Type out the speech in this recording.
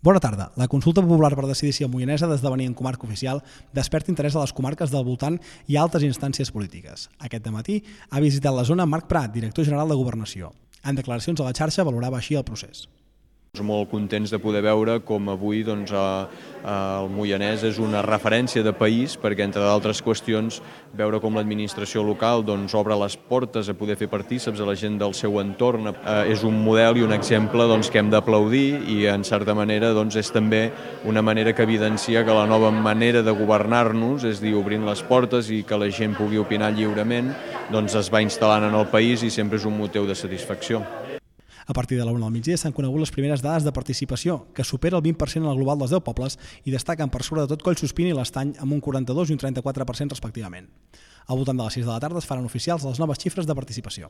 Bona tarda. La consulta popular per decidir si el Moianès ha d'esdevenir en comarca oficial desperta interès a les comarques del voltant i a altres instàncies polítiques. Aquest dematí ha visitat la zona Marc Prat, director general de Governació. En declaracions a la xarxa valorava així el procés. Molt contents de poder veure com avui el Moianès és una referència de país, perquè entre d'altres qüestions veure com l'administració local obre les portes a poder fer partíceps a la gent del seu entorn és un model i un exemple que hem d'aplaudir i en certa manera és també una manera que evidencia que la nova manera de governar-nos, és a dir, obrint les portes i que la gent pugui opinar lliurement, es va instal·lant en el país i sempre és un motiu de satisfacció. A partir de la 1 del migdia s'han conegut les primeres dades de participació, que supera el 20% en el global dels 10 pobles i destaquen per sobre de tot Collsuspina i l'Estany amb un 42 i un 34% respectivament. Al voltant de les 6 de la tarda es faran oficials les noves xifres de participació.